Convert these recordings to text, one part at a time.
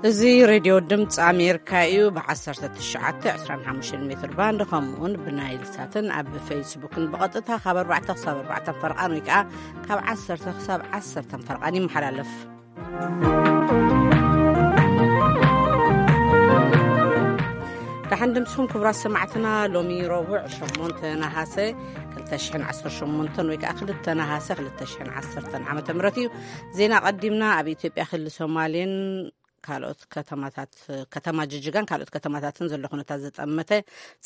እዚ ሬድዮ ድምፂ ኣሜሪካ እዩ። ብ19፣ 25 ሜትር ባንድ ከምኡውን ብናይል ሳትን ኣብ ፌስቡክን ብቐጥታ ካብ ኣርባዕተ ክሳብ ኣርባዕተ ፈርቓን ወይ ከዓ ካብ ዓሰርተ ክሳብ ዓሰርተ ፈርቓን ይመሓላለፍ። ደሓን ድምፅኹም ክቡራት ሰማዕትና። ሎሚ ረቡዕ ሸሞንተ ነሃሰ ክልተ ሽሕን ዓሰርተ ሸሞንተን ወይ ከዓ ክልተ ነሃሰ ክልተ ሽሕን ዓሰርተን ዓመተ ምህረት እዩ። ዜና ቀዲምና። ኣብ ኢትዮጵያ ክልል ሶማሌን ካልኦት ከተማታት፣ ከተማ ጅጅጋን ካልኦት ከተማታትን ዘሎ ኩነታት ዘጠመተ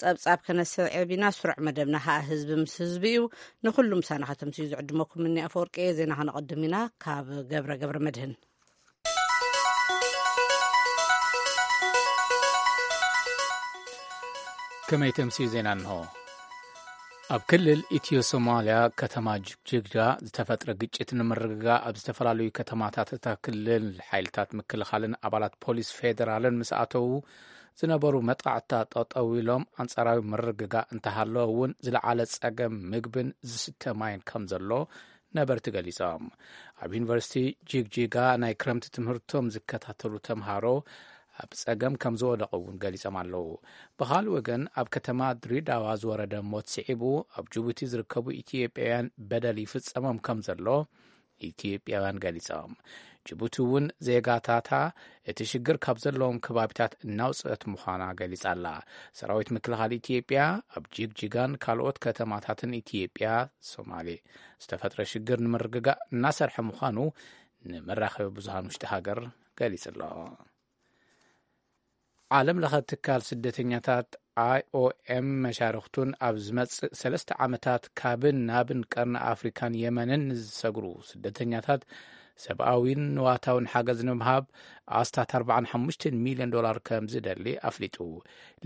ጸብጻብ ከነስዕብ ኢና። ስሩዕ መደብና ኸኣ ህዝቢ ምስ ህዝቢ እዩ። ንኹሉ ምሳና ከተምስዩ ዝዕድመኩም እኒ ኣፈወርቂ። ዜና ከነቐድም ኢና ካብ ገብረ ገብረ መድህን። ከመይ ተምስዩ ዜና እንሆ። ኣብ ክልል ኢትዮ ሶማልያ ከተማ ጅግጅጋ ዝተፈጥረ ግጭት ንምርግጋእ ኣብ ዝተፈላለዩ ከተማታት እታ ክልል ሓይልታት ምክልኻልን ኣባላት ፖሊስ ፌደራልን ምስ ኣተዉ ዝነበሩ መጥቃዕትታት ጠጠው ኢሎም፣ ኣንጻራዊ ምርግጋእ እንተሃለወ እውን ዝለዓለ ጸገም ምግብን ዝስተ ማይን ከም ዘሎ ነበርቲ ገሊጾም። ኣብ ዩኒቨርሲቲ ጅግጅጋ ናይ ክረምቲ ትምህርቶም ዝከታተሉ ተምሃሮ ኣብ ጸገም ከም ዝወደቑ እውን ገሊጾም ኣለዉ። ብኻልእ ወገን ኣብ ከተማ ድሬዳዋ ዝወረደ ሞት ስዒቡ ኣብ ጅቡቲ ዝርከቡ ኢትዮጵያውያን በደል ይፍጸሞም ከም ዘሎ ኢትዮጵያውያን ገሊጾም። ጅቡቲ እውን ዜጋታታ እቲ ሽግር ካብ ዘለዎም ከባቢታት እናውፅአት ምዃና ገሊጻ ኣላ። ሰራዊት ምክልኻል ኢትዮጵያ ኣብ ጅግጅጋን ካልኦት ከተማታትን ኢትዮጵያ ሶማሌ ዝተፈጥረ ሽግር ንምርግጋእ እናሰርሐ ምዃኑ ንመራኸቢ ብዙሃን ውሽጢ ሃገር ገሊጹ ኣሎ። ዓለም ለኸ ትካል ስደተኛታት ኣይ ኦ ኤም መሻርኽቱን ኣብ ዝመጽእ ሰለስተ ዓመታት ካብን ናብን ቀርኒ ኣፍሪካን የመንን ንዝሰግሩ ስደተኛታት ሰብኣዊን ንዋታውን ሓገዝ ንምሃብ ኣስታት ኣርባዓን ሓሙሽተን ሚልዮን ዶላር ከም ዝደሊ ኣፍሊጡ።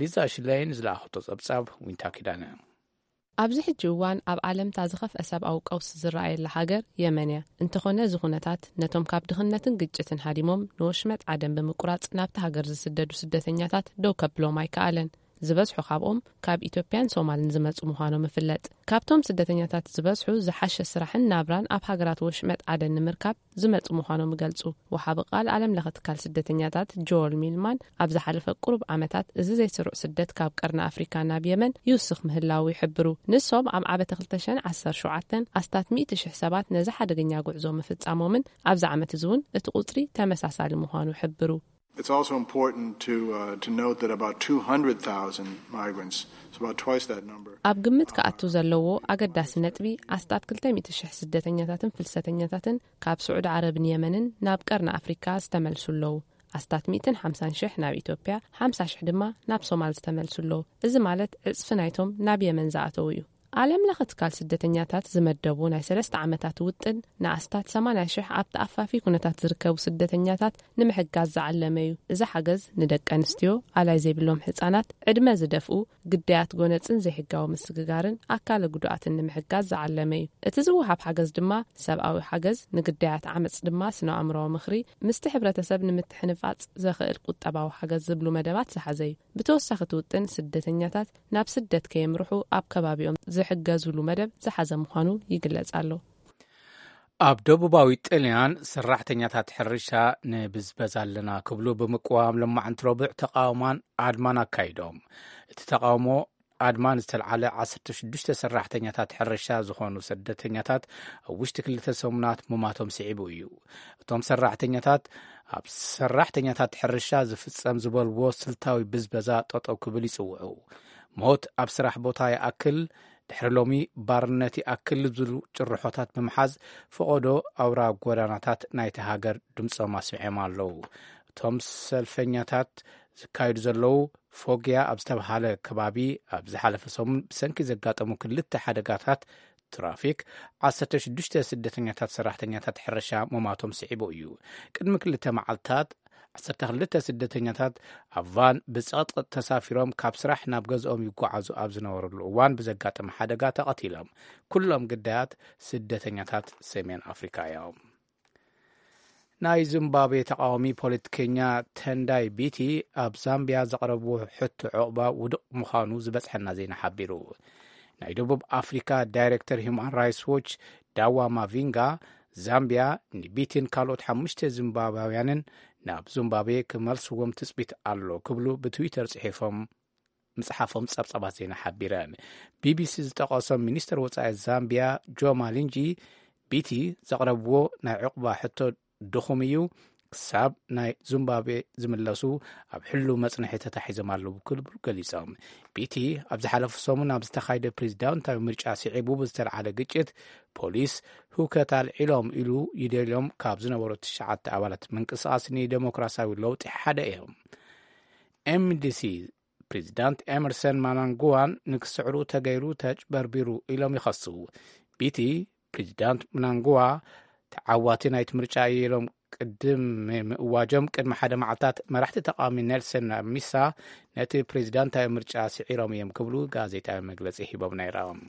ሊዛ ሽለይን ዝለኣኸቶ ጸብጻብ ዊንታ ኪዳነ። ኣብዚ ሕጂ እዋን ኣብ ዓለምታ ዝኸፍአ ሰብኣዊ ቀውሲ ዝረኣየላ ሃገር የመን እያ። እንተኾነ እዚ ኩነታት ነቶም ካብ ድኽነትን ግጭትን ሃዲሞም ንወሽመጥ ዓደን ብምቁራጽ ናብቲ ሃገር ዝስደዱ ስደተኛታት ደው ከብሎም ኣይከኣለን። ዝበዝሑ ካብኦም ካብ ኢትዮጵያን ሶማልን ዝመጹ ምዃኖም ይፍለጥ። ካብቶም ስደተኛታት ዝበዝሑ ዝሓሸ ስራሕን ናብራን ኣብ ሃገራት ወሽመጥ ዓደን ንምርካብ ዝመጹ ምዃኖም ይገልጹ። ወሃቢ ቃል ዓለም ለኸ ትካል ስደተኛታት ጆል ሚልማን ኣብ ዝሓለፈ ቁሩብ ዓመታት እዚ ዘይስሩዕ ስደት ካብ ቀርኒ ኣፍሪካ ናብ የመን ይውስኽ ምህላዉ ይሕብሩ። ንሶም ኣብ ዓመተ ክልተ ሽሕን ዓሰርተ ሸውዓተን ኣስታት ሚእቲ ሽሕ ሰባት ነዚ ሓደገኛ ጉዕዞ ምፍጻሞምን ኣብዚ ዓመት እዚ እውን እቲ ቁጽሪ ተመሳሳሊ ምዃኑ ይሕብሩ። It's also important to, uh, to note that about two hundred thousand migrants, so about twice that number, ኣብ ግምት ክኣቱ ዘለዎ ኣገዳሲ ነጥቢ ኣስታት ክልተ ሚእቲ ሽሕ ስደተኛታትን ፍልሰተኛታትን ካብ ስዑዲ ዓረብን የመንን ናብ ቀርኒ ኣፍሪካ ዝተመልሱ ኣለዉ። ኣስታት ሚእትን ሓምሳን ሽሕ ናብ ኢትዮጵያ፣ ሓምሳ ሽሕ ድማ ናብ ሶማል ዝተመልሱ ኣለዉ። እዚ ማለት ዕጽፊ ናይቶም ናብ የመን ዝኣተዉ እዩ። ዓለም ለኸ ትካል ስደተኛታት ዝመደቡ ናይ ሰለስተ ዓመታት ውጥን ንኣስታት ሰማንያ ሽሕ ኣብ ተኣፋፊ ኩነታት ዝርከቡ ስደተኛታት ንምሕጋዝ ዝዓለመ እዩ። እዚ ሓገዝ ንደቂ ኣንስትዮ፣ ኣላይ ዘይብሎም ህጻናት፣ ዕድመ ዝደፍኡ፣ ግዳያት ጎነጽን ዘይሕጋዊ ምስግጋርን ኣካለ ጉዱኣትን ንምሕጋዝ ዝዓለመ እዩ። እቲ ዝወሃብ ሓገዝ ድማ ሰብኣዊ ሓገዝ፣ ንግዳያት ዓመጽ ድማ ስነ ኣእምሮዊ ምኽሪ፣ ምስቲ ሕብረተሰብ ንምትሕንፋጽ ዘኽእል ቁጠባዊ ሓገዝ ዝብሉ መደባት ዝሓዘ እዩ። ብተወሳኺ እቲ ውጥን ስደተኛታት ናብ ስደት ከየምርሑ ኣብ ከባቢኦም ዝሕገዙሉ መደብ ዝሓዘ ምዃኑ ይግለጽ ኣሎ። ኣብ ደቡባዊ ጥልያን ሰራሕተኛታት ሕርሻ ንብዝበዛ ኣለና ክብሉ ብምቅዋም ሎማዕንቲ ረቡዕ ተቃውማን ኣድማን ኣካይዶም። እቲ ተቃውሞ ኣድማን ዝተልዓለ ዓሰርተ ሽዱሽተ ሰራሕተኛታት ሕርሻ ዝኾኑ ስደተኛታት ኣብ ውሽጢ ክልተ ሰሙናት ምማቶም ስዒቡ እዩ። እቶም ሰራሕተኛታት ኣብ ሰራሕተኛታት ሕርሻ ዝፍጸም ዝበልዎ ስልታዊ ብዝበዛ ጠጠው ክብል ይጽውዑ። ሞት ኣብ ስራሕ ቦታ ይኣክል፣ ድሕሪ ሎሚ ባርነት ይኣክል ዝብሉ ጭርሖታት ብምሓዝ ፈቐዶ ኣውራ ጎዳናታት ናይቲ ሃገር ድምጾም ኣስሚዖም ኣለዉ። እቶም ሰልፈኛታት ዝካየዱ ዘለዉ ፎግያ ኣብ ዝተባሃለ ከባቢ ኣብ ዝሓለፈ ሰሙን ብሰንኪ ዘጋጠሙ ክልተ ሓደጋታት ትራፊክ ዓሰርተ ሽዱሽተ ስደተኛታት ሰራሕተኛታት ሕርሻ ምማቶም ስዒቡ እዩ። ቅድሚ ክልተ መዓልታት ዓሰርተ ክልተ ስደተኛታት ኣብ ቫን ብጸቕጥቕጥ ተሳፊሮም ካብ ስራሕ ናብ ገዝኦም ይጓዓዙ ኣብ ዝነበሩሉ እዋን ብዘጋጠመ ሓደጋ ተቐቲሎም። ኩሎም ግዳያት ስደተኛታት ሰሜን ኣፍሪካ እዮም። ናይ ዚምባብዌ ተቃዋሚ ፖለቲከኛ ተንዳይ ቢቲ ኣብ ዛምቢያ ዘቕረብዎ ሕቶ ዕቑባ ውዱቕ ምዃኑ ዝበጽሐና ዜና ሓቢሩ። ናይ ደቡብ ኣፍሪካ ዳይሬክተር ሂውማን ራይትስ ዎች ዳዋ ማቪንጋ ዛምቢያ ንቢቲን ካልኦት ሓሙሽተ ዚምባብያውያንን ናብ ዙምባብዌ ክመልስዎም ትጽቢት ኣሎ ክብሉ ብትዊተር ጽሒፎም ምጽሓፎም ጸብጻባት ዜና ሓቢረን። ቢቢሲ ዝጠቐሶም ሚኒስትር ወጻኢ ዛምቢያ ጆ ማሊንጂ፣ ቢቲ ዘቕረብዎ ናይ ዕቑባ ሕቶ ድኹም እዩ፣ ክሳብ ናይ ዙምባብዌ ዝምለሱ ኣብ ሕሉ መጽንሒ ተታሒዞም ኣለዉ ክብሉ ገሊጾም። ቢቲ ኣብ ዝሓለፉ ሰሙን ኣብ ዝተኻየደ ፕሬዚዳንታዊ ምርጫ ስዒቡ ብዝተልዓለ ግጭት ፖሊስ ህውከት ኣልዒሎም ኢሉ ይደልዮም ካብ ዝነበሩ ትሽዓተ ኣባላት ምንቅስቓስ ንዴሞክራሲያዊ ለውጢ ሓደ እዮም። ኤምዲሲ ፕሬዚዳንት ኤመርሰን ማናንጉዋን ንክስዕሩ ተገይሩ ተጭበርቢሩ ኢሎም ይኸሱ። ቢቲ ፕሬዚዳንት ምናንጉዋ ተዓዋቲ ናይቲ ምርጫ ኢሎም ቅድም ምእዋጆም ቅድሚ ሓደ መዓልታት መራሕቲ ተቃዋሚ ኔልሰን ሚሳ ነቲ ፕሬዚዳንታዊ ምርጫ ስዒሮም እዮም ክብሉ ጋዜጣዊ መግለጺ ሂቦም ነይሮም።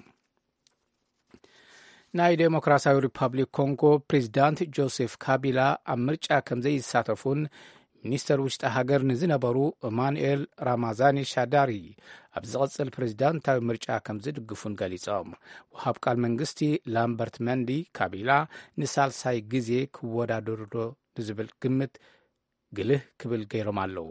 ናይ ዴሞክራሲያዊ ሪፐብሊክ ኮንጎ ፕሬዚዳንት ጆሴፍ ካቢላ ኣብ ምርጫ ከም ዘይሳተፉን ሚኒስተር ውሽጢ ሃገር ንዝነበሩ እማኑኤል ራማዛኒ ሻዳሪ ኣብ ዝቕጽል ፕሬዚዳንታዊ ምርጫ ከም ዝድግፉን ገሊጾም። ወሃብ ቃል መንግስቲ ላምበርት መንዲ ካቢላ ንሳልሳይ ግዜ ክወዳደሩ ዶ ንዝብል ግምት ግልህ ክብል ገይሮም ኣለዉ።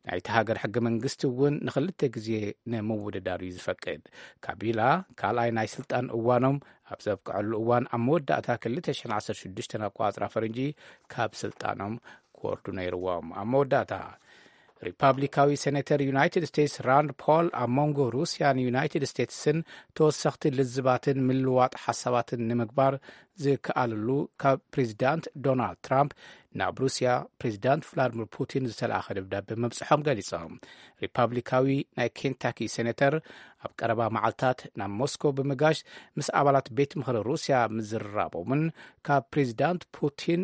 ናይቲ ሃገር ሕገ መንግስቲ እውን ንኽልተ ግዜ ንምውድዳር እዩ ዝፈቅድ። ካቢላ ካልኣይ ናይ ስልጣን እዋኖም ኣብ ዘብቅዐሉ እዋን ኣብ መወዳእታ ክልተ ሽሕን ዓሰርተ ሽዱሽተን ኣቋጽራ ፈረንጂ ካብ ስልጣኖም ክወርዱ ነይርዎም። ኣብ መወዳእታ ሪፓብሊካዊ ሴኔተር ዩናይትድ ስቴትስ ራንድ ፖል ኣብ መንጎ ሩስያን ዩናይትድ ስቴትስን ተወሰኽቲ ልዝባትን ምልዋጥ ሓሳባትን ንምግባር ዝከኣለሉ ካብ ፕሬዚዳንት ዶናልድ ትራምፕ ናብ ሩስያ ፕሬዚዳንት ቭላድሚር ፑቲን ዝተለኣኸ ደብዳቤ መብጽሖም ገሊጾም። ሪፓብሊካዊ ናይ ኬንታኪ ሴኔተር ኣብ ቀረባ መዓልታት ናብ ሞስኮ ብምጋሽ ምስ ኣባላት ቤት ምኽሪ ሩስያ ምዝርራቦምን ካብ ፕሬዚዳንት ፑቲን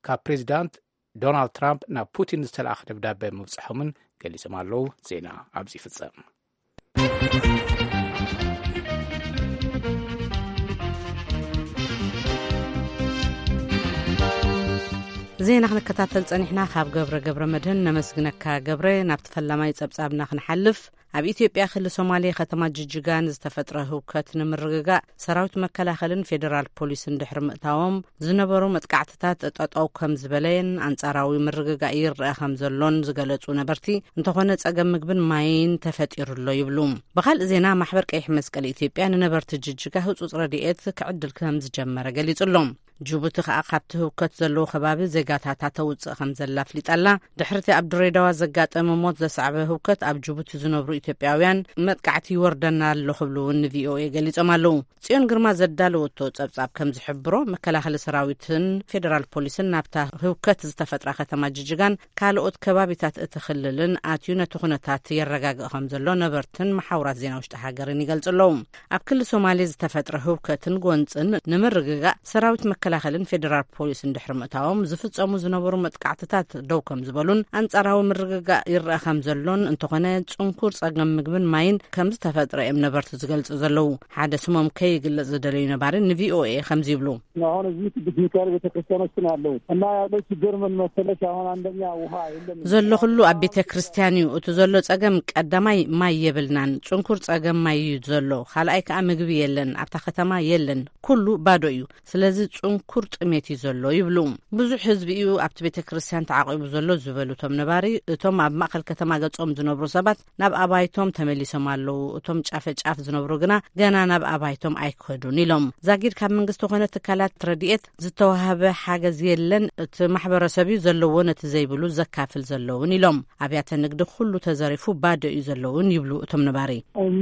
ካብ ፕሬዚዳንት ዶናልድ ትራምፕ ናብ ፑቲን ዝተለኣኸ ደብዳቤ ምብጽሖምን ገሊጾም ኣለዉ። ዜና ኣብዚ ይፍጸም። ዜና ክንከታተል ጸኒሕና። ካብ ገብረ ገብረ መድህን ነመስግነካ ገብረ። ናብቲ ፈላማይ ጸብጻብና ክንሓልፍ፣ ኣብ ኢትዮጵያ ክሊ ሶማሌ ከተማ ጅጅጋ ንዝተፈጥረ ህውከት ንምርግጋእ ሰራዊት መከላኸልን ፌዴራል ፖሊስን ድሕሪ ምእታዎም ዝነበሩ መጥቃዕትታት ጠጠው ከም ዝበለየን ኣንጻራዊ ምርግጋእ ይረአ ከም ዘሎን ዝገለጹ ነበርቲ፣ እንተኾነ ጸገም ምግብን ማይን ተፈጢሩ ኣሎ ይብሉ። ብኻልእ ዜና፣ ማሕበር ቀይሕ መስቀል ኢትዮጵያ ንነበርቲ ጅጅጋ ህጹጽ ረድኤት ክዕድል ከም ዝጀመረ ገሊጹ ኣሎ። ጅቡቲ ከኣ ካብቲ ህውከት ዘለዎ ከባቢ ዜጋታታ ተውጽእ ከም ዘላ ኣፍሊጣ ኣላ። ድሕርቲ ኣብ ድሬዳዋ ዘጋጠመ ሞት ዘስዓበ ህውከት፣ ኣብ ጅቡቲ ዝነብሩ ኢትዮጵያውያን መጥቃዕቲ ይወርደና ኣሎ ክብሉ እውን ንቪኦኤ ገሊጾም ኣለዉ። ጽዮን ግርማ ዘዳለወቶ ጸብጻብ ከም ዝሕብሮ፣ መከላኸሊ ሰራዊትን ፌደራል ፖሊስን ናብታ ህውከት ዝተፈጥራ ከተማ ጅጅጋን ካልኦት ከባቢታት እቲ ክልልን ኣትዩ ነቲ ኩነታት የረጋግእ ከም ዘሎ ነበርትን መሓውራት ዜና ውሽጢ ሃገርን ይገልጹ ኣለዉ። ኣብ ክሊ ሶማሌ ዝተፈጥረ ህውከትን ጎንጽን ንምርግጋእ ሰራዊት መከላኸልን ፌዴራል ፖሊስን ድሕሪ ምእታዎም ዝፍጸሙ ዝነበሩ መጥቃዕትታት ደው ከም ዝበሉን ኣንጻራዊ ምርግጋእ ይረአ ከም ዘሎን፣ እንተኾነ ጽንኩር ጸገም ምግብን ማይን ከም ዝተፈጥረ እዮም ነበርቲ ዝገልጹ ዘለዉ። ሓደ ስሞም ከይግለጽ ዝደለዩ ነባሪ ንቪኦኤ ከምዚ ይብሉ። አሁን እዚህ ቅዱስ ሚካኤል ቤተክርስቲያኖች ነው ያለው እና ያለው ችግር ምን መሰለሽ? አሁን አንደኛ ውሃ የለም። ዘሎ ኩሉ ኣብ ቤተ ክርስቲያን እዩ። እቲ ዘሎ ጸገም ቀዳማይ ማይ የብልናን። ጽንኩር ጸገም ማይ እዩ ዘሎ። ካልኣይ ከኣ ምግቢ የለን። ኣብታ ከተማ የለን። ኩሉ ባዶ እዩ። ስለዚ ጽንኩር ጥሜት እዩ ዘሎ ይብሉ። ብዙሕ ህዝቢ እዩ ኣብቲ ቤተ ክርስቲያን ተዓቂቡ ዘሎ ዝበሉ እቶም ነባሪ፣ እቶም ኣብ ማእከል ከተማ ገጾም ዝነብሩ ሰባት ናብ ኣባይቶም ተመሊሶም ኣለዉ። እቶም ጫፈ ጫፍ ዝነብሩ ግና ገና ናብ ኣባይቶም ኣይከዱን ኢሎም። ዛጊድ ካብ መንግስቲ ኮነ ትካላት ረድኤት ዝተዋህበ ሓገዝ የለን። እቲ ማሕበረሰብ እዩ ዘለዎ ነቲ ዘይብሉ ዘካፍል ዘለውን ኢሎም። ኣብያተ ንግዲ ኩሉ ተዘሪፉ ባዶ እዩ ዘለውን ይብሉ እቶም ነባሪ።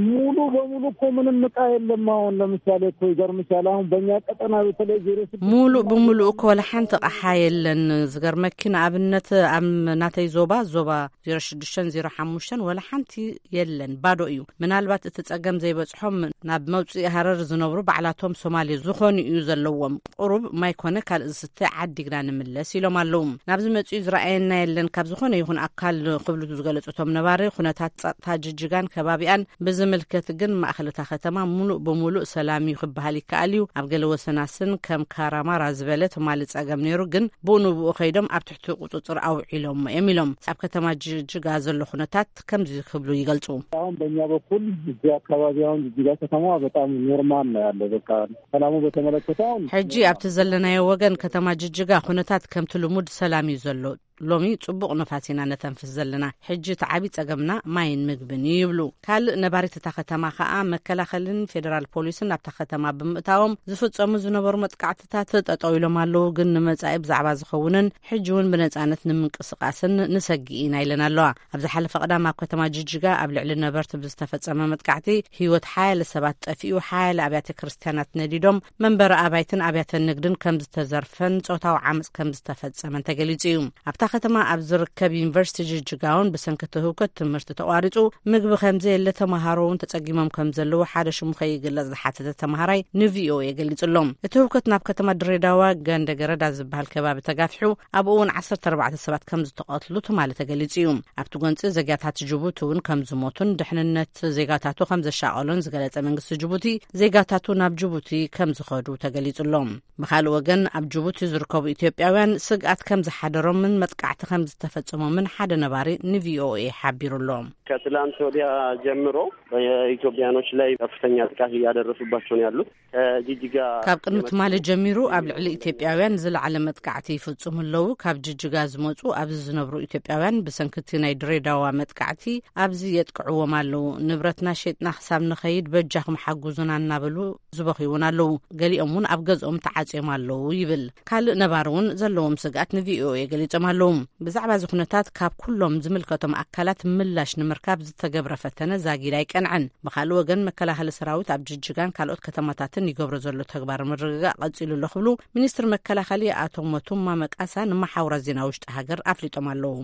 ሙሉ በሙሉ እኮ ምንም እቃ የለም። አሁን ለምሳሌ እኮ ይገርምሻል፣ አሁን በእኛ ቀጠና በተለይ ዜሮ ስድስት ሙሉ ብሙሉ እኮ ወላ ሓንቲ ኣቕሓ የለን። ዝገርመኪ ንኣብነት ኣብ ናተይ ዞባ፣ ዞባ ዜሮ ሽዱሽተን ዜሮ ሓሙሽተን ወላ ሓንቲ የለን፣ ባዶ እዩ። ምናልባት እቲ ጸገም ዘይበጽሖም ናብ መውጽኢ ሃረር ዝነብሩ ባዕላቶም ሶማሌ ዝኾኑ እዩ ዘለዎም። ቁሩብ ማይ ኮነ ካልእ ዝስተ ዓዲግና ንምለስ ኢሎም ኣለዉ። ናብዚ መጺኡ ዝረኣየና የለን ካብ ዝኾነ ይኹን ኣካል ክብሉ ዝገለጹ እቶም ነባሪ፣ ኩነታት ጸጥታ ጅጅጋን ከባቢኣን ብዝምልከት ግን ማእኸል እታ ከተማ ሙሉእ ብሙሉእ ሰላም እዩ ክበሃል ይከኣል እዩ። ኣብ ገለ ወሰናስን ከም ካራማራ ዝበለ ትማሊ ጸገም ነይሩ፣ ግን ብኡ ንብኡ ከይዶም ኣብ ትሕቲ ቁጽጽር ኣውዒሎሞ እዮም ኢሎም። ኣብ ከተማ ጅጅጋ ዘሎ ኩነታት ከምዚ ክብሉ ይገልጹ። አሁን በእኛ በኩል እዚህ አካባቢ አሁን ጅጅጋ ከተማ በጣም ኖርማል ነው ያለው። በቃ ሰላሙ በተመለከተ አሁን ሕጂ ኣብቲ ዘለናዮ ወገን ከተማ ጅጅጋ ኩነታት ከምቲ ልሙድ ሰላም እዩ ዘሎ። ሎሚ ጽቡቕ ንፋስ ኢና ነተንፍስ ዘለና። ሕጂ እቲ ዓቢ ጸገምና ማይን ምግብን እዩ ይብሉ። ካልእ ነባሪት እታ ከተማ ከኣ መከላኸልን ፌደራል ፖሊስን ናብታ ከተማ ብምእታዎም ዝፍጸሙ ዝነበሩ መጥቃዕትታት ጠጠው ኢሎም ኣለዉ፣ ግን ንመጻኢ ብዛዕባ ዝኸውንን ሕጂ እውን ብነጻነት ንምንቅስቃስን ንሰጊ ኢና ኢለን ኣለዋ። ኣብ ዝሓለፈ ቀዳም ኣብ ከተማ ጅጅጋ ኣብ ልዕሊ ነበርቲ ብዝተፈጸመ መጥቃዕቲ ህይወት ሓያለ ሰባት ጠፊኡ፣ ሓያለ ኣብያተ ክርስቲያናት ነዲዶም፣ መንበሪ ኣባይትን ኣብያተ ንግድን ከም ዝተዘርፈን ጾታዊ ዓመጽ ከም ዝተፈጸመን ተገሊጹ እዩ። ኣብታ ከተማ ኣብ ዝርከብ ዩኒቨርሲቲ ጅጅጋ እውን ብሰንኪ እቲ ህውከት ትምህርቲ ተቋሪጹ፣ ምግቢ ከም ዘየለ፣ ተመሃሮ እውን ተጸጊሞም ከም ዘለዉ ሓደ ሽሙ ከይግለጽ ዝሓተተ ተመሃራይ ንቪኦኤ ገሊጹ ኣሎ። እቲ ህውከት ናብ ከተማ ድሬዳዋ ገንደ ገረዳ ዝበሃል ከባቢ ተጋፊሑ፣ ኣብኡ እውን ዓሰርተ ኣርባዕተ ሰባት ከም ዝተቐትሉ ትማሊ ተገሊጹ እዩ። ኣብቲ ጎንጺ ዘግያታት ጅቡቲ እውን ከም ዝሞቱን ድሕንነት ዜጋታቱ ከም ዘሻቐሎን ዝገለጸ መንግስቲ ጅቡቲ፣ ዜጋታቱ ናብ ጅቡቲ ከም ዝኸዱ ተገሊጹ ኣሎ። ብኻልእ ወገን ኣብ ጅቡቲ ዝርከቡ ኢትዮጵያውያን ስግኣት ከም ዝሓደሮምን መጥቃዕቲ ከም ዝተፈጸሞምን ሓደ ነባሪ ንቪኦኤ ሓቢሩ ኣሎ። ከትላንት ወዲያ ጀምሮ በኢትዮጵያኖች ላይ ከፍተኛ ጥቃት እያደረሱባቸው ነው ያሉት። ከጅጅጋ ካብ ቅድሚ ትማሊ ጀሚሩ ኣብ ልዕሊ ኢትዮጵያውያን ዝለዓለ መጥቃዕቲ ይፍጽሙ ኣለዉ። ካብ ጅጅጋ ዝመጹ ኣብዚ ዝነብሩ ኢትዮጵያውያን ብሰንክቲ ናይ ድሬዳዋ መጥቃዕቲ ኣብዚ የጥቅዕዎም ኣለዉ። ንብረትና ሸጥና ክሳብ ንኸይድ በጃኹም ሓጉዙና እናበሉ ዝበኽዩ እውን ኣለዉ። ገሊኦም እውን ኣብ ገዝኦም ተዓጽዮም ኣለዉ ይብል። ካልእ ነባሪ እውን ዘለዎም ስግኣት ንቪኦኤ ገሊጾም ኣለዉ። ብዛዕባ እዚ ኩነታት ካብ ኩሎም ዝምልከቶም ኣካላት ምላሽ ንምርካብ ዝተገብረ ፈተነ ዛጊድ ኣይቀንዐን። ብኻልእ ወገን መከላኸሊ ሰራዊት ኣብ ጅጅጋን ካልኦት ከተማታትን ይገብሮ ዘሎ ተግባር ምርግጋእ ቀጺሉ ኣሎ ክብሉ ሚኒስትር መከላኸሊ ኣቶ ሞቱማ መቃሳ ንመሓውራት ዜና ውሽጢ ሃገር ኣፍሊጦም ኣለዉ።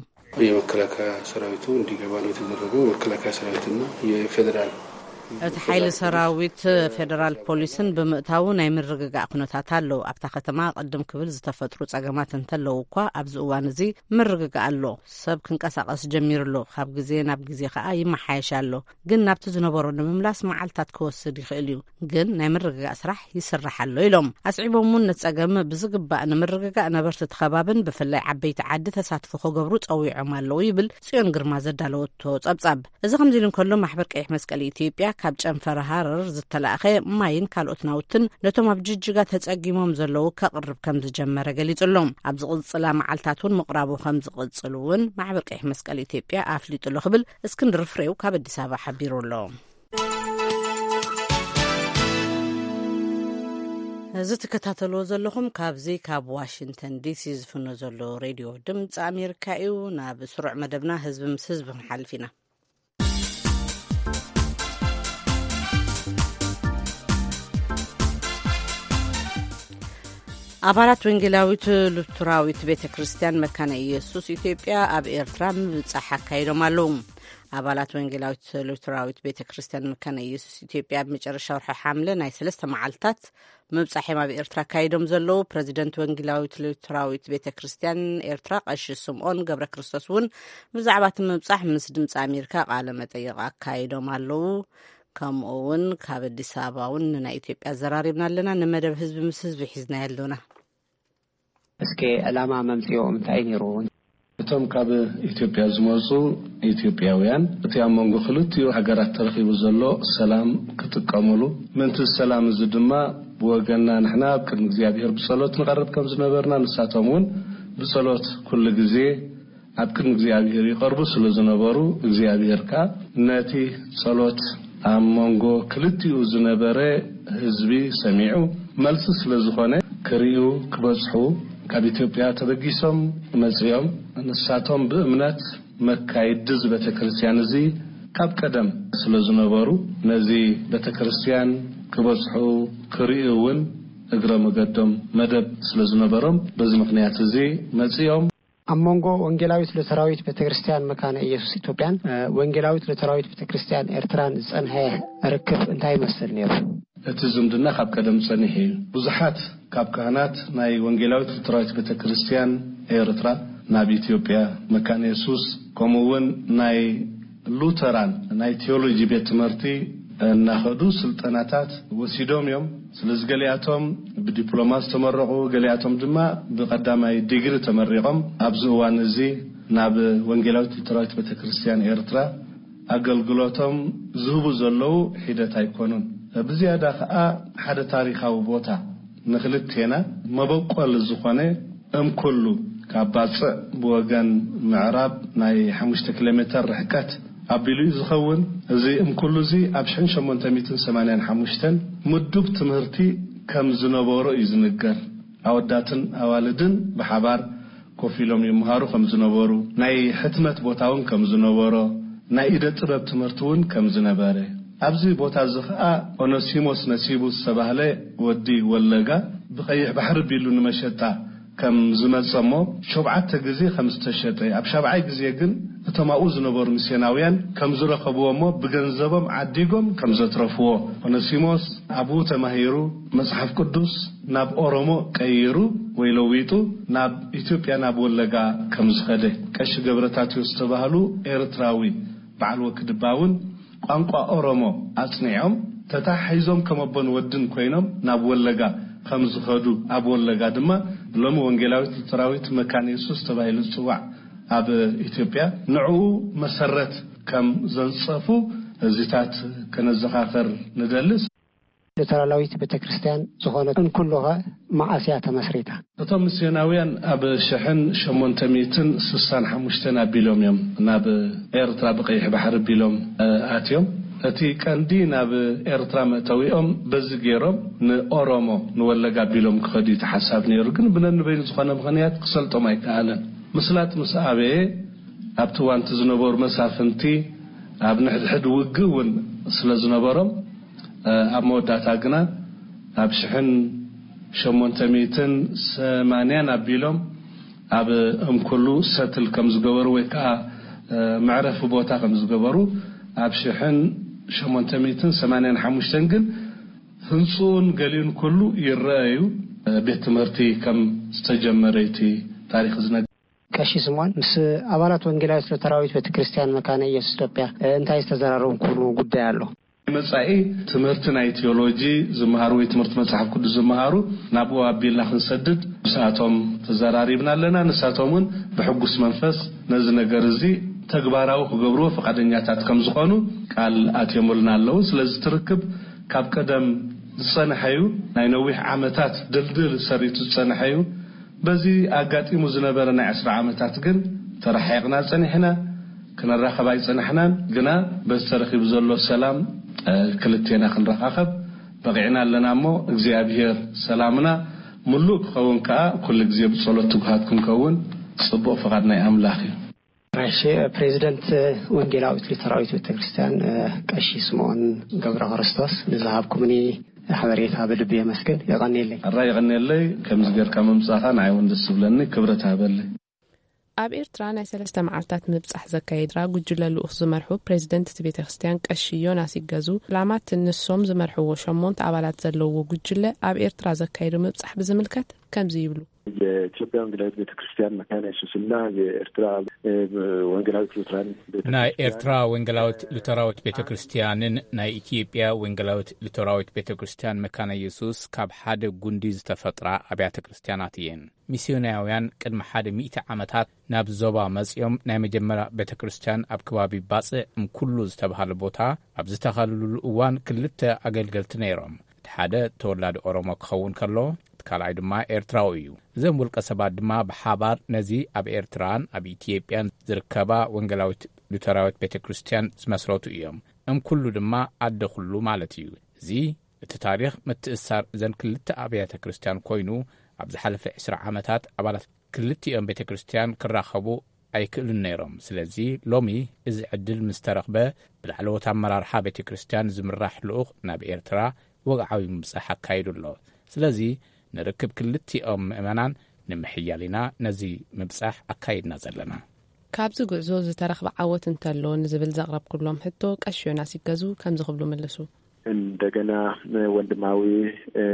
የመከላከያ ሰራዊቱ እንዲገባ ነው የተደረገው። መከላከያ ሰራዊትና የፌዴራል እቲ ሓይሊ ሰራዊት ፌደራል ፖሊስን ብምእታዉ ናይ ምርግጋእ ኩነታት ኣሎ። ኣብታ ከተማ ቅድም ክብል ዝተፈጥሩ ጸገማት እንተለዉ እኳ ኣብዚ እዋን እዚ ምርግጋእ ኣሎ። ሰብ ክንቀሳቐስ ጀሚሩ ኣሎ። ካብ ግዜ ናብ ግዜ ከኣ ይመሓየሽ ኣሎ። ግን ናብቲ ዝነበሮ ንምምላስ መዓልታት ክወስድ ይኽእል እዩ። ግን ናይ ምርግጋእ ስራሕ ይስራሕ ኣሎ ኢሎም። ኣስዒቦም እውን ነቲ ጸገም ብዝግባእ ንምርግጋእ ነበርቲ እቲ ከባብን ብፍላይ ዓበይቲ ዓዲ ተሳትፎ ክገብሩ ጸዊዖም ኣለዉ ይብል ጽዮን ግርማ ዘዳለወቶ ጸብጻብ። እዚ ከምዚ ኢሉ እንከሎ ማሕበር ቀይሕ መስቀል ኢትዮጵያ ካብ ጨንፈር ሃረር ዝተላእኸ ማይን ካልኦት ናውትን ነቶም ኣብ ጅጅጋ ተጸጊሞም ዘለዉ ከቕርብ ከም ዝጀመረ ገሊጹ ኣሎ። ኣብ ዝቕጽላ መዓልታት እውን ምቕራቡ ከም ዝቕጽል እውን ማሕበር ቀይሕ መስቀል ኢትዮጵያ ኣፍሊጡ ኣሎ ክብል እስክንድር ፍሬው ካብ ኣዲስ ኣበባ ሓቢሩ ኣሎ። እዚ ትከታተልዎ ዘለኹም ካብዚ ካብ ዋሽንግተን ዲሲ ዝፍኖ ዘሎ ሬድዮ ድምፂ ኣሜሪካ እዩ። ናብ ስሩዕ መደብና ህዝቢ ምስ ህዝቢ ክንሓልፍ ኢና። ኣባላት ወንጌላዊት ሉትራዊት ቤተ ክርስቲያን መካነ ኢየሱስ ኢትዮጵያ ኣብ ኤርትራ ምብጻሕ ኣካይዶም ኣለዉ። ኣባላት ወንጌላዊት ሉትራዊት ቤተ ክርስቲያን መካነ ኢየሱስ ኢትዮጵያ ኣብ መጨረሻ ወርሒ ሓምለ ናይ ሰለስተ መዓልታት ምብጻሕ እዮም ኣብ ኤርትራ ኣካይዶም ዘለዉ። ፕረዚደንት ወንጌላዊት ሉትራዊት ቤተ ክርስቲያን ኤርትራ ቀሺ ስምኦን ገብረ ክርስቶስ እውን ብዛዕባ እቲ ምብጻሕ ምስ ድምፂ ኣሜሪካ ቃለ መጠይቕ ኣካይዶም ኣለዉ። ከምኡ እውን ካብ ኣዲስ ኣበባ እውን ንናይ ኢትዮጵያ ኣዘራሪብና ኣለና። ንመደብ ህዝቢ ምስ ህዝቢ ሒዝናዮ ኣለና። እስከ ዕላማ መምፅኦም እንታይ ነይሩ? እቶም ካብ ኢትዮጵያ ዝመፁ ኢትዮጵያውያን እቲ ኣብ መንጎ ክልቲኡ ሃገራት ተረኺቡ ዘሎ ሰላም ክጥቀሙሉ፣ ምእንቲ ሰላም እዚ ድማ ብወገንና ንሕና ኣብ ቅድሚ እግዚኣብሔር ብጸሎት ንቐርብ ከም ዝነበርና፣ ንሳቶም እውን ብጸሎት ኩሉ ግዜ ኣብ ቅድሚ እግዚኣብሔር ይቐርቡ ስለ ዝነበሩ፣ እግዚኣብሔር ከኣ ነቲ ጸሎት ኣብ መንጎ ክልቲኡ ዝነበረ ህዝቢ ሰሚዑ፣ መልሲ ስለ ዝኾነ፣ ክርእዩ ክበጽሑ ካብ ኢትዮጵያ ተበጊሶም መጺኦም። ንሳቶም ብእምነት መካይዲ እዚ ቤተ ክርስቲያን እዚ ካብ ቀደም ስለ ዝነበሩ፣ ነዚ ቤተ ክርስቲያን ክበጽሑ ክርእዩ እውን እግረ መገዶም መደብ ስለ ዝነበሮም፣ በዚ ምኽንያት እዚ መጺኦም። ኣብ መንጎ ወንጌላዊት ሉተራዊት ቤተ ክርስቲያን መካነ ኢየሱስ ኢትዮጵያን ወንጌላዊት ሉተራዊት ቤተ ክርስቲያን ኤርትራን ዝጸንሐ ርክብ እንታይ ይመስል ነይሩ? እቲ ዝምድና ካብ ቀደም ጸኒሑ እዩ። ብዙሓት ካብ ካህናት ናይ ወንጌላዊት ሉተራዊት ቤተ ክርስቲያን ኤርትራ ናብ ኢትዮጵያ መካነ የሱስ፣ ከምኡ እውን ናይ ሉተራን ናይ ቴዎሎጂ ቤት ትምህርቲ እናኸዱ ስልጠናታት ወሲዶም እዮም። ስለዚ ገሊኣቶም ብዲፕሎማ ዝተመረቑ፣ ገሊኣቶም ድማ ብቐዳማይ ዲግሪ ተመሪቖም ኣብዚ እዋን እዚ ናብ ወንጌላዊት ሉተራዊት ቤተ ክርስቲያን ኤርትራ ኣገልግሎቶም ዝህቡ ዘለዉ ሒደት ኣይኮኑን። ብዝያዳ ኸኣ ሓደ ታሪኻዊ ቦታ ንኽልቴና መበቆል ዝኾነ እምኩሉ ካብ ባጽዕ ብወገን ምዕራብ ናይ ሓሙሽተ ኪሎ ሜተር ርሕቀት ኣቢሉ እዩ ዝኸውን። እዚ እምኩሉ እዚ ኣብ ሽሕን ሸሞንተ ሚእትን ሰማንያን ሓሙሽተን ምዱብ ትምህርቲ ከም ዝነበሮ እዩ ዝንገር። ኣወዳትን ኣዋልድን ብሓባር ኮፍ ኢሎም ይምሃሩ ከም ዝነበሩ፣ ናይ ሕትመት ቦታ እውን ከም ዝነበሮ፣ ናይ ኢደ ጥበብ ትምህርቲ እውን ከም ዝነበረ፣ ኣብዚ ቦታ እዚ ኸኣ ኦነሲሞስ ነሲቡ ዝተባህለ ወዲ ወለጋ ብቐይሕ ባሕሪ ቢሉ ንመሸጣ ከም ዝመጸ እሞ ሸውዓተ ግዜ ከም ዝተሸጠ፣ ኣብ ሻብዓይ ግዜ ግን እቶም ኣብኡ ዝነበሩ ሚስዮናውያን ከም ዝረኸብዎ እሞ ብገንዘቦም ዓዲጎም ከም ዘትረፍዎ፣ ኦነሲሞስ ኣብኡ ተማሂሩ መጽሓፍ ቅዱስ ናብ ኦሮሞ ቀይሩ ወይ ለዊጡ ናብ ኢትዮጵያ ናብ ወለጋ ከም ዝኸደ ቀሺ ገብረታትዮ ዝተባህሉ ኤርትራዊ በዓል ወክድባ እውን ቋንቋ ኦሮሞ ኣጽኒዖም ተታሒዞም ከም ኣቦን ወድን ኮይኖም ናብ ወለጋ ከም ዝኸዱ፣ ኣብ ወለጋ ድማ ሎሚ ወንጌላዊት ሉተራዊት መካነ የሱስ ተባሂሉ ዝጽዋዕ ኣብ ኢትዮጵያ ንዕኡ መሰረት ከም ዘንጸፉ እዚታት ከነዘኻኸር ንደሊ። ሉተራላዊት ቤተ ክርስቲያን ዝኾነት እንኩሉኸ መዓስ እያ ተመስሪታ? እቶም ሚስዮናውያን ኣብ ሽሕን ሸሞንተ ሚእትን ስሳን ሓሙሽተን ኣቢሎም እዮም ናብ ኤርትራ ብቐይሕ ባሕሪ ኣቢሎም፣ እ፣ ኣትዮም። እቲ ቀንዲ ናብ ኤርትራ መእተዊኦም በዚ ገይሮም ንኦሮሞ፣ ንወለጋ ኣቢሎም ክኸዱ እዩ እቲ ሓሳብ ነይሩ። ግን ብነንበይኑ ዝኾነ ምኽንያት ክሰልጦም ኣይከኣለን። ምስላጥ ምስ ኣበየ ኣብቲ እዋን እቲ ዝነበሩ መሳፍንቲ ኣብ ንሕድሕድ ውግእ እውን ስለ ዝነበሮም፣ እ፣ ኣብ መወዳእታ ግና ኣብ ሽሕን ሸሞንተ ሚእትን ሰማንያን ኣቢሎም ኣብ እምኩሉ ሰትል ከም ዝገበሩ ወይ ከዓ፣ እ፣ መዕረፊ ቦታ ከም ዝገበሩ ኣብ ሽሕን ሸሞንተ ሚእትን ሰማንያን ሓሙሽተን ግን ህንፅኡን ገሊኡን ኩሉ ይረአ እዩ። እ፣ ቤት ትምህርቲ ከም ዝተጀመረ እቲ ታሪክ ዝነግር። ቀሺ ስምዖን፣ ምስ ኣባላት ወንጌላዊት ሉተራዊት ቤተ ክርስቲያን መካነ ኢየሱስ ኢትዮጵያ፣ እ፣ እንታይ ዝተዘራረብኩሉ ጉዳይ ኣሎ? መጻኢ ትምህርቲ ናይ ቴዎሎጂ ዝመሃሩ ወይ ትምህርቲ መጽሓፍ ቅዱስ ዝመሃሩ ናብኡ ኣቢልና ክንሰድድ ምስኣቶም ተዘራሪብና ኣለና። ንሳቶም እውን ብሕጉስ መንፈስ ነዚ ነገር እዚ ተግባራዊ ክገብርዎ ፈቃደኛታት ከም ዝኾኑ ቃል ኣትዮምልና ኣለዉ። ስለዚ እቲ ርክብ ካብ ቀደም ዝጸንሐ እዩ። ናይ ነዊሕ ዓመታት ድልድል ሰሪቱ ዝጸንሐ እዩ። በዚ ኣጋጢሙ ዝነበረ ናይ ዕስራ ዓመታት ግን ተረሓሒቕና ጸኒሕና፣ ክንራኸብ ኣይጸናሕናን። ግና በዚ ተረኺቡ ዘሎ ሰላም፣ እ፣ ክልቴና ክንረኻኸብ በቒዕና ኣለና እሞ፣ እግዚኣብሔር ሰላምና ምሉእ ክኸውን ከኣ ኩሉ ግዜ ብጸሎት ትጉሃት ክንከውን ጽቡቕ ፍቓድ ናይ ኣምላኽ እዩ። እሺ፣ ፕሬዚደንት ወንጌላዊት ሉተራዊት ቤተክርስትያን፣ እ፣ ቀሺ ስምዖን ገብረ ክርስቶስ ንዝሃብኩምኒ ሓበሬታ ብልቢ የመስግን። የቐንየለይ። ኣራ የቐንየለይ፣ ከምዚ ጌርካ ምምጻኻ ንዓይ እውን ደስ ዝብለኒ፣ ክብረት ሃበለይ። ኣብ ኤርትራ ናይ ሰለስተ መዓልታት ምብጻሕ ዘካየድራ ጉጅለ ልኡኽ ዝመርሑ ፕሬዚደንት እቲ ቤተክርስትያን ቀሺ ዮናስ ይገዙ፣ ዕላማ እቲ ንሶም ዝመርሕዎ ሸሞንተ ኣባላት ዘለዎ ጉጅለ ኣብ ኤርትራ ዘካየዶ ምብጻሕ ብዝምልከት ከምዚ ይብሉ። የኢትዮጵያ ወንጌላዊት ቤተክርስቲያን መካነ ኢየሱስና የኤርትራ፣ እ፣ ወንጌላዊት ሉትራን ቤተክርስቲያን ናይ ኤርትራ ወንጌላዊት ሉተራዊት ቤተክርስቲያንን ናይ ኢትዮጵያ ወንጌላዊት ሉተራዊት ቤተክርስቲያን መካነ ኢየሱስ ካብ ሓደ ጉንዲ ዝተፈጥራ ኣብያተ ክርስቲያናት እየን። ሚስዮናውያን ቅድሚ ሓደ ሚእቲ ዓመታት ናብ ዞባ መጺኦም ናይ መጀመርያ ቤተክርስቲያን ኣብ ከባቢ ባጽዕ እምኩሉ ዝተባህለ ቦታ ኣብ ዝተኸልሉሉ እዋን ክልተ ኣገልገልቲ ነይሮም። እቲ ሓደ ተወላዲ ኦሮሞ ክኸውን ከሎ፣ እቲ ካልኣይ ድማ ኤርትራዊ እዩ። እዞም ውልቀ ሰባት ድማ ብሓባር ነዚ ኣብ ኤርትራን ኣብ ኢትዮጵያን ዝርከባ ወንጌላዊት ሉተራዊት ቤተ ክርስቲያን ዝመስረቱ እዮም። እም ኩሉ ድማ ኣደ ኩሉ ማለት እዩ። እዚ እቲ ታሪኽ ምትእስሳር እዘን ክልተ ኣብያተ ክርስቲያን ኮይኑ፣ ኣብ ዝሓለፈ ዕስራ ዓመታት ኣባላት ክልቲኦም ቤተ ክርስቲያን ክራኸቡ ኣይክእሉን ነይሮም። ስለዚ ሎሚ እዚ ዕድል ምስ ተረኽበ፣ ብላዕለዎት ኣመራርሓ ቤተ ክርስቲያን ዝምራሕ ልኡኽ ናብ ኤርትራ ወግዓዊ ምብጻሕ ኣካይዱ ኣሎ። ስለዚ ንርክብ ክልቲኦም ምእመናን ንምሕያል ኢና ነዚ ምብጻሕ ኣካይድና ዘለና። ካብዚ ጉዕዞ ዝተረኽበ ዓወት እንተሎ ንዝብል ዘቕረብኩሎም ሕቶ ቀሺ ዮናስ ይገዙ ከምዚ ክብሉ ምልሱ። እንደገና ወንድማዊ፣ እ፣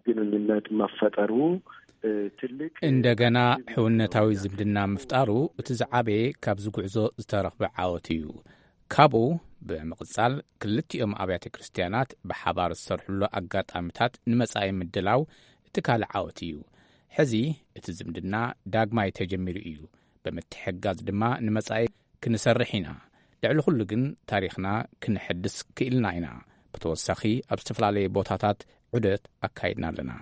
ግንኙነት መፈጠሩ፣ እ፣ ትልቅ እንደገና ሕውነታዊ ዝምድና ምፍጣሩ እቲ ዝዓበየ ካብዚ ጉዕዞ ዝተረኽበ ዓወት እዩ። ካብኡ ብምቕጻል ክልቲኦም ኣብያተ ክርስቲያናት ብሓባር ዝሰርሕሉ ኣጋጣሚታት ንመጻኢ ምድላው እቲ ካልእ ዓወት እዩ። ሕዚ እቲ ዝምድና ዳግማይ ተጀሚሩ እዩ። ብምትሕግጋዝ ድማ ንመጻኢ ክንሰርሕ ኢና። ልዕሊ ኩሉ ግን ታሪኽና ክንሕድስ ክኢልና ኢና። ብተወሳኺ ኣብ ዝተፈላለየ ቦታታት ዑደት ኣካይድና ኣለና።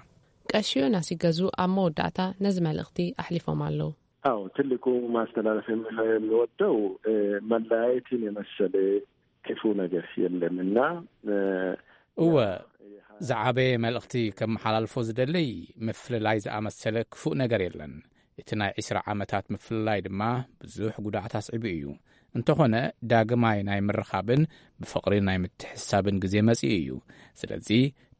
ቀሺ ዮናስ ይገዙ ኣብ መወዳእታ ነዚ መልእኽቲ ኣሕሊፎም ኣለዉ። አዎ፣ ትልቁ ማስተላለፍ የምፈ-፣ የምወደው፣ እ፣ መለያየትን የመሰለ ክፉ ነገር የለም እና፣ እ፣ እወ፣ ዝዓበየ መልእኽቲ ከመሓላልፎ ዝደልይ፣ ምፍልላይ ዝኣመሰለ ክፉእ ነገር የለን። እቲ ናይ ዒስራ ዓመታት ምፍልላይ ድማ ብዙሕ ጉድኣት ኣስዒቡ እዩ። እንተኾነ፣ ዳግማይ ናይ ምርኻብን ብፍቕሪ ናይ ምትሕሳብን ግዜ መጺኡ እዩ። ስለዚ፣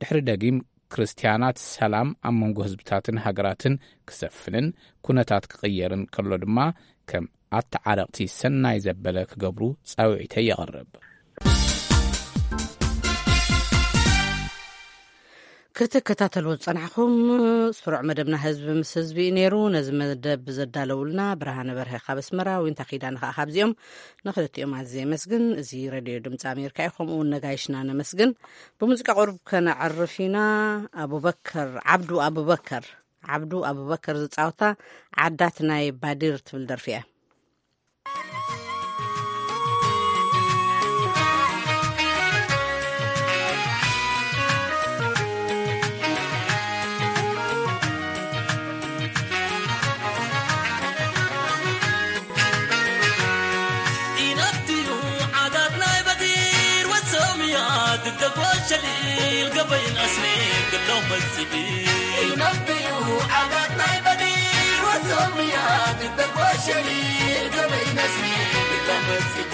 ድሕሪ ደጊም ክርስትያናት ሰላም ኣብ መንጎ ህዝብታትን ሃገራትን ክሰፍንን ኩነታት ክቕየርን ከሎ ድማ፣ ከም ኣተዓረቕቲ ሰናይ ዘበለ ክገብሩ ጻውዒተይ የቕርብ። ክትከታተልዎ ዝጸናሕኩም ስሩዕ መደብና ህዝቢ ምስ ህዝቢ እዩ ነይሩ። ነዚ መደብ ዘዳለውልና ብርሃነ በርሀ ካብ ኣስመራ፣ ዊንታ ኪዳነ ከኣ ካብዚኦም። ንኽልቲኦም ኣዝየ የመስግን። እዚ ሬድዮ ድምፂ ኣሜሪካ እዩ። ከምኡ እውን ነጋይሽና ነመስግን። ብሙዚቃ ቁሩብ ከነዕርፍ ኢና። ኣቡበከር ዓብዱ ኣቡበከር፣ ዓብዱ ኣቡበከር ዝጻወታ ዓዳት ናይ ባዲር ትብል ደርፊ እያ። ኢናትዩ ዓዳት ናይ በዲር ወሶምያ ድደጎ ሸሊል ገበይን ኣስኒ ግደው መስጊድ። ኢናትዩ ዓዳት ናይ በዲር ወሶምያ ድደጎ ሸሊል ገበይን ኣስኒ ግደው መስጊድ።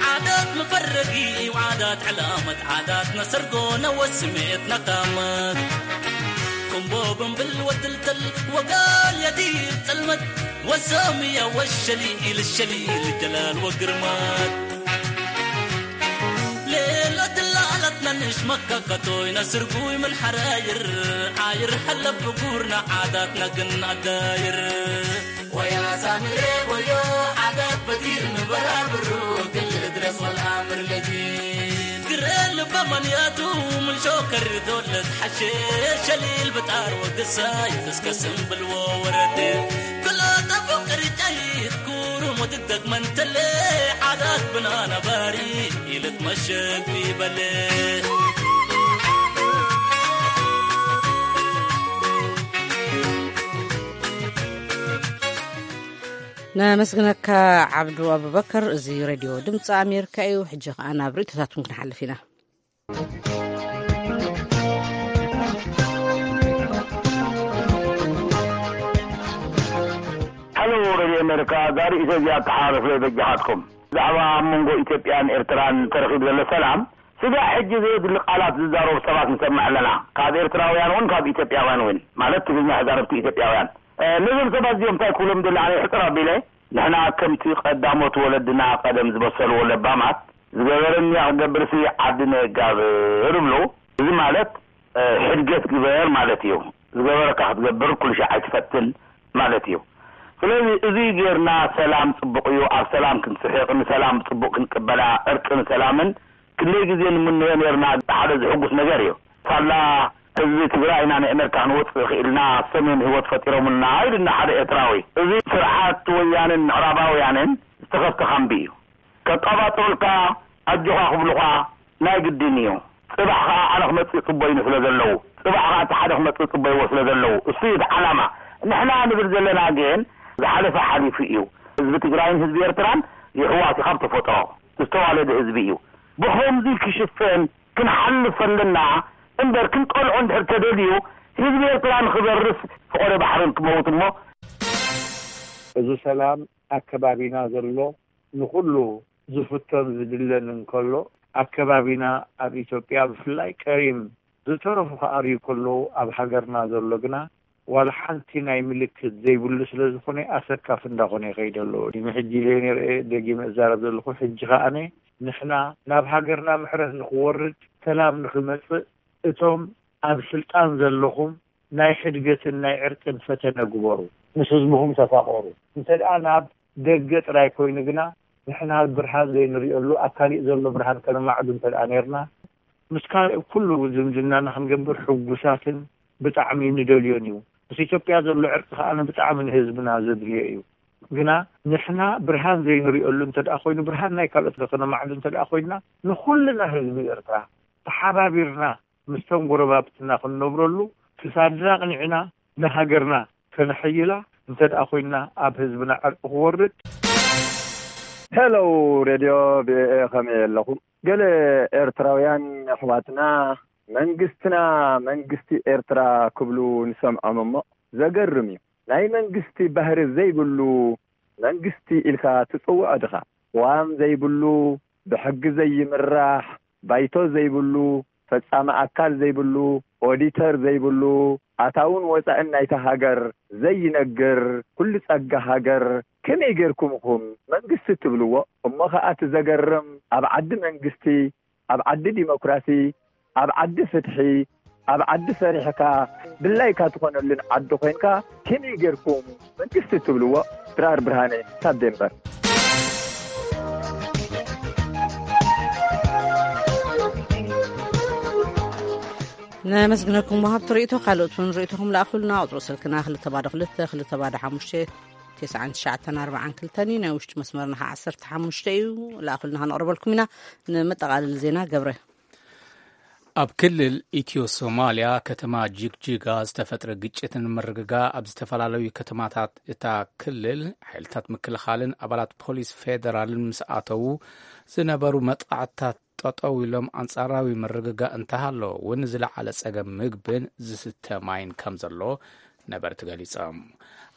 ዓዳት መፈረጊ እዩ ዓዳት ዕላመት ዓዳት ነሰርጎ ነወስሜት ነቃመት። ኩምቦ ብንብል ወትልተል ወጋል የዲር ጽልመት ወሰምያ ወሸሊል ሸሊል ጀላል ወግርማት። ሌሎ ትላላት ነንሽ መካከቶይ ነስርጉይ ምን ሓራይር ዓይር ሐለብ ብጉርና ዓዳት ነግን ኣዳይር። ወያ ሳምሬ ወዮ ዓዳት በዲር ንበራብሩ ክል ድረስ ወልኣምር ለጂ። ግረ ልበ መንያቱ ምን ሾከር ዶለት ሓሼ ሸሊል ብጣር ወግሳይ እስከ ስምብልዎ ወረድ። ክሎ ጠቡ ቅርጫይት ኩሩም ወትደግመን ተለ ዓዳት ብና ነባሪ ኢልት መሸግ ይበል። ነመስግነካ ዓብዱ ኣቡበከር። እዚ ሬድዮ ድምፂ ኣሜሪካ እዩ። ሕጂ ከኣ ናብ ርእይቶታትኩም ክንሓልፍ ኢና። ሃሎ ሬድዮ ኣሜሪካ፣ እዛ ርእይቶ እዚኣ ኣተሓላልፉለይ በጃኻትኩም። ብዛዕባ ኣብ መንጎ ኢትዮጵያን ኤርትራን ተረኺቡ ዘሎ ሰላም፣ ስጋዕ ሕጂ ዘየድሊ ቃላት ዝዛረቡ ሰባት ንሰምዕ ኣለና። ካብ ኤርትራውያን እውን ካብ ኢትዮጵያውያን እውን፣ ማለት ትግርኛ ተዛረብቲ ኢትዮጵያውያን። እ፣ ነዞም ሰባት እዚኦም እንታይ ክብሎም ደሊ ኣነ ሕጽር ኣቢለ፣ ንሕና ከምቲ ቀዳሞት ወለድና ቀደም ዝበሰልዎ ለባማት፣ ዝገበረኒ ክገብርሲ ዓዲ ነየጋብር እብሉ። እዚ ማለት፣ እ፣ ሕድገት ግበር ማለት እዩ። ዝገበረካ ክትገብር ኩሉ ሻዕ ኣይትፈትን ማለት እዩ። ስለዚ እዚ ጌርና ሰላም ጽቡቕ እዩ። ኣብ ሰላም ክንስሕቕ፣ ንሰላም ጽቡቕ ክንቅበላ፣ ዕርቅን ሰላምን ክንደይ ግዜ ንምነዮ ኔርና። ሓደ ዝሕጉስ ነገር እዩ። ሳላ ህዝቢ ትግራይ ኢና ንኣሜሪካ ክንወጽእ ክኢልና፣ ሰሜን ህይወት ፈጢሮምልና ኢሉና ሓደ ኤርትራዊ። እዚ ስርዓት ወያንን ምዕራባውያንን ዝተኸፍተ ካምቢ እዩ። ከቀባጥሩልካ፣ ኣጆኻ ክብሉኻ ናይ ግድን እዩ። ጽባሕ ኸኣ ኣነ ክመጽእ ጽበዩኒ ስለ ዘለዉ፣ ጽባሕ ኸኣ እቲ ሓደ ክመጽእ ጽበይዎ ስለ ዘለዉ፣ እሱ እዩ እቲ ዓላማ። ንሕና ንብል ዘለና ግን ዝሓለፈ ሓሊፉ እዩ። ህዝቢ ትግራይን ህዝቢ ኤርትራን የሕዋት እዩ ካብ ተፈጥሮ፣ ዝተዋለደ ህዝቢ እዩ። ብኸምዚ ክሽፈን ክንሓልፍ ኣለና እምበር፣ ክንጠልዖ እንድሕር ተደልዩ ህዝቢ ኤርትራ ንኽበርስ ፈቐዶ ባሕርን ክመውት እሞ። እዚ ሰላም ኣከባቢና ዘሎ ንኹሉ ዝፍቶን ዝድለን እንከሎ፣ ኣከባቢና ኣብ ኢትዮጵያ ብፍላይ ቀሪም ዝተረፉ ክኣርዩ ከለዉ፣ ኣብ ሃገርና ዘሎ ግና ዋላ ሓንቲ ናይ ምልክት ዘይብሉ ስለ ዝኾነ ኣሰካፊ እንዳኾነ ይኸይድ ኣሎ። ቅድሚ ሕጂ ዘይንርኤ ደጊመ እዛረብ ዘለኹ፣ ሕጂ ከኣነ ንሕና ናብ ሃገርና ምሕረት ንኽወርድ፣ ሰላም ንኽመጽእ፣ እቶም ኣብ ስልጣን ዘለኹም ናይ ሕድገትን ናይ ዕርቅን ፈተነ ግበሩ። ምስ ህዝብኹም ተፋቐሩ። እንተ ደኣ ናብ ደገ ጥራይ ኮይኑ ግና፣ ንሕና ብርሃን ዘይንርእየሉ፣ ኣብ ካሊእ ዘሎ ብርሃን ከነማዕዱ እንተ ደኣ ኔርና፣ ምስ ካልእ ኩሉ ዝምድናና ክንገብር ሕጉሳትን ብጣዕሚ ንደልዮን እዩ። ምስ ኢትዮጵያ ዘሎ ዕርቂ ከኣ ብጣዕሚ ንህዝብና ዘድልዮ እዩ። ግና ንሕና ብርሃን ዘይንሪኦሉ እንተ ደኣ ኮይኑ፣ ብርሃን ናይ ካልኦት ከነማዕዱ እንተ ደኣ ኮይንና፣ ንኹልና ህዝቢ ኤርትራ ተሓባቢርና ምስቶም ጎረባብትና ክንነብረሉ፣ ክሳድና ኣቕኒዕና ንሃገርና ከነሐይላ እንተ ደኣ ኮይንና፣ ኣብ ህዝብና ዕርቂ ክወርድ። ሄሎ፣ ሬድዮ ቪኦኤ፣ ከመይ ኣለኹም? ገለ ኤርትራውያን ኣሕዋትና፣ መንግስትና መንግስቲ ኤርትራ ክብሉ ንሰምዖም እሞ፣ ዘገርም እዩ። ናይ መንግስቲ ባህሪ ዘይብሉ መንግስቲ ኢልካ ትጽውዖ ድኻ? ቅዋም ዘይብሉ፣ ብሕጊ ዘይምራሕ፣ ባይቶ ዘይብሉ፣ ፈጻሚ ኣካል ዘይብሉ፣ ኦዲተር ዘይብሉ፣ ኣታውን ወጻእን ናይታ ሃገር ዘይነግር፣ ኩሉ ጸጋ ሃገር ከመይ ጌርኩም ኢኹም መንግስቲ ትብልዎ? እሞ ኸኣ እቲ ዘገርም፣ ኣብ ዓዲ መንግስቲ፣ ኣብ ዓዲ ዲሞክራሲ፣ ኣብ ዓዲ ፍትሒ፣ ኣብ ዓዲ ሰሪሕካ ድላይካ ትኾነሉን ዓዲ ኮይንካ ከመይ ጌርኩም መንግስቲ ትብልዎ? ድራር ብርሃነ ካብ ዴንቨር። ነመስግነኩም ወሃብቲ ርእይቶ። ካልኦት እውን ርእይቶኹም ለኣኹልና። ቁጽሪ ስልክና ክልተ ባዶ ክልተ፣ ክልተ ባዶ ሓሙሽተ፣ ተስዓን ትሽዓተን ኣርባዓን ክልተን እዩ። ናይ ውሽጢ መስመርና ኸዓ ዓሰርተ ሓሙሽተ እዩ። ለኣኹልና ከነቕርበልኩም ኢና። ንመጠቓለሊ ዜና ገብረ። ኣብ ክልል ኢትዮ ሶማልያ ከተማ ጅግጅጋ ዝተፈጥረ ግጭትን ምርግጋ ኣብ ዝተፈላለዩ ከተማታት እታ ክልል ሓይልታት ምክልኻልን ኣባላት ፖሊስ ፌደራልን ምስ ኣተዉ ዝነበሩ መጥቃዕትታት ጠጠው ኢሎም ኣንጻራዊ ምርግጋእ እንተሃለወ እውን ዝለዓለ ጸገም ምግብን ዝስተ ማይን ከም ዘሎ ነበርቲ ገሊጾም።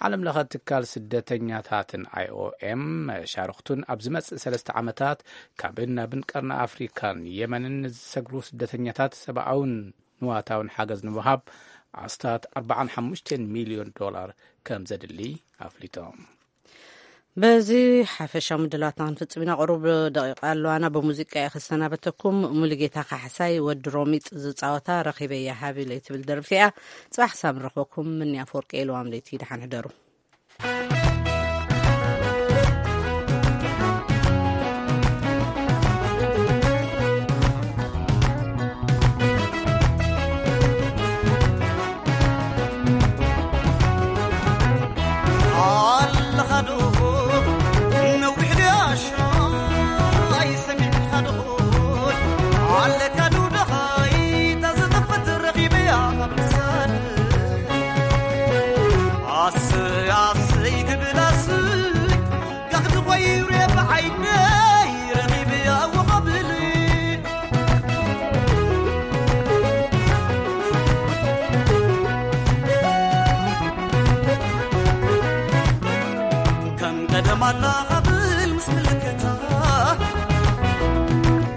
ዓለም ለኸ ትካል ስደተኛታትን ኣይ ኦ ኤም መሻርኽቱን ኣብ ዝመጽእ ሰለስተ ዓመታት ካብን ናብን ቀርኒ ኣፍሪካን የመንን ንዝሰግሩ ስደተኛታት ሰብኣውን ንዋታውን ሓገዝ ንምሃብ ኣስታት ኣርባዓን ሓሙሽተን ሚልዮን ዶላር ከም ዘድሊ ኣፍሊጦም። በዚ ሓፈሻዊ ምድላዋትና ክንፍጽም ኢና። ቁሩብ ደቂቃ ኣለዋና። ብሙዚቃ እየ ክሰናበተኩም። ሙሉጌታ ካሕሳይ፣ ወዲ ሮሚጥ ዝጻወታ ረኺበያ ሃቢለይ ትብል ደርፊ እያ። ጽባሕ ክሳብ ንረኽበኩም፣ ምንያ ኣፈወርቂ እየ። ለዋም ለይቲ ደሓን ሕደሩ። ኣለኻዶ ነዊሕ ድያሻ ኣይሰሚዕካዶ ኣለካዶ ደኻይ ታዘጠፈት ረኺበያ ኣብ ልሳን ኣሰይ ኣሰይ ክብል ኣስይ ጋኽዲ ቆይረ ብዓይነይ ረኺበያ ወቐብል ከም ቀደም ኣላ ኻብል ምስ ምልክታ፣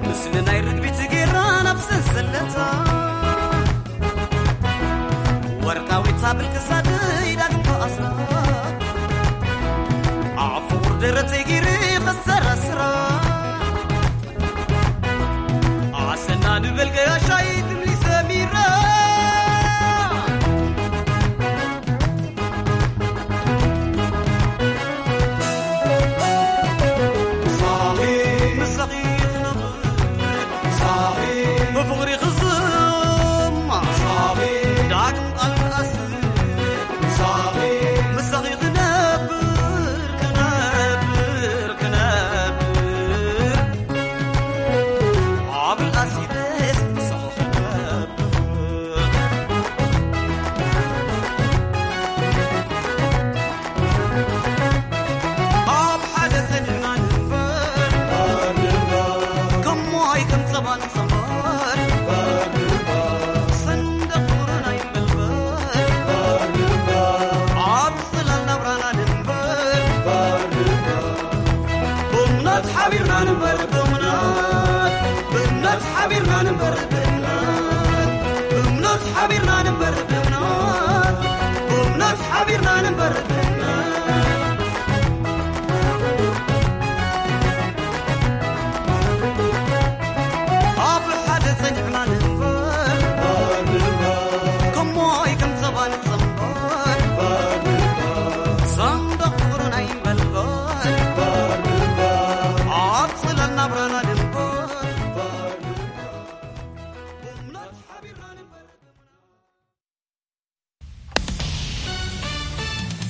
ምስሊ ናይ ርግቢት ጌራ ናብ ሰንሰለታ፣ ወርቃዊት ሃብል ክሳደይ ዳግም ተኣስራ፣ ኣፉ ደረተይ ጌረ ኸሰራስራ። ኣሰና ድበል ገያሻይ ትምሊ ሰሚራ። ሳኺ ምሳኺ ክነብር፣ ሳኺ ብፍቕሪ ክዝማ፣ ሳኺ ዳግም ቃል ክኣስር፣ ሳኺ ምሳኺ ክነብር፣ ክነብር፣ ክነብር። እምነት ሓቢርና ንንበር ብእምነት፣ ብእምነት ሓቢርና ንንበር ብእምነት፣ ብእምነት ሓቢርና ንንበር ብእምነት፣ ብእምነት ሓቢርና ንንበር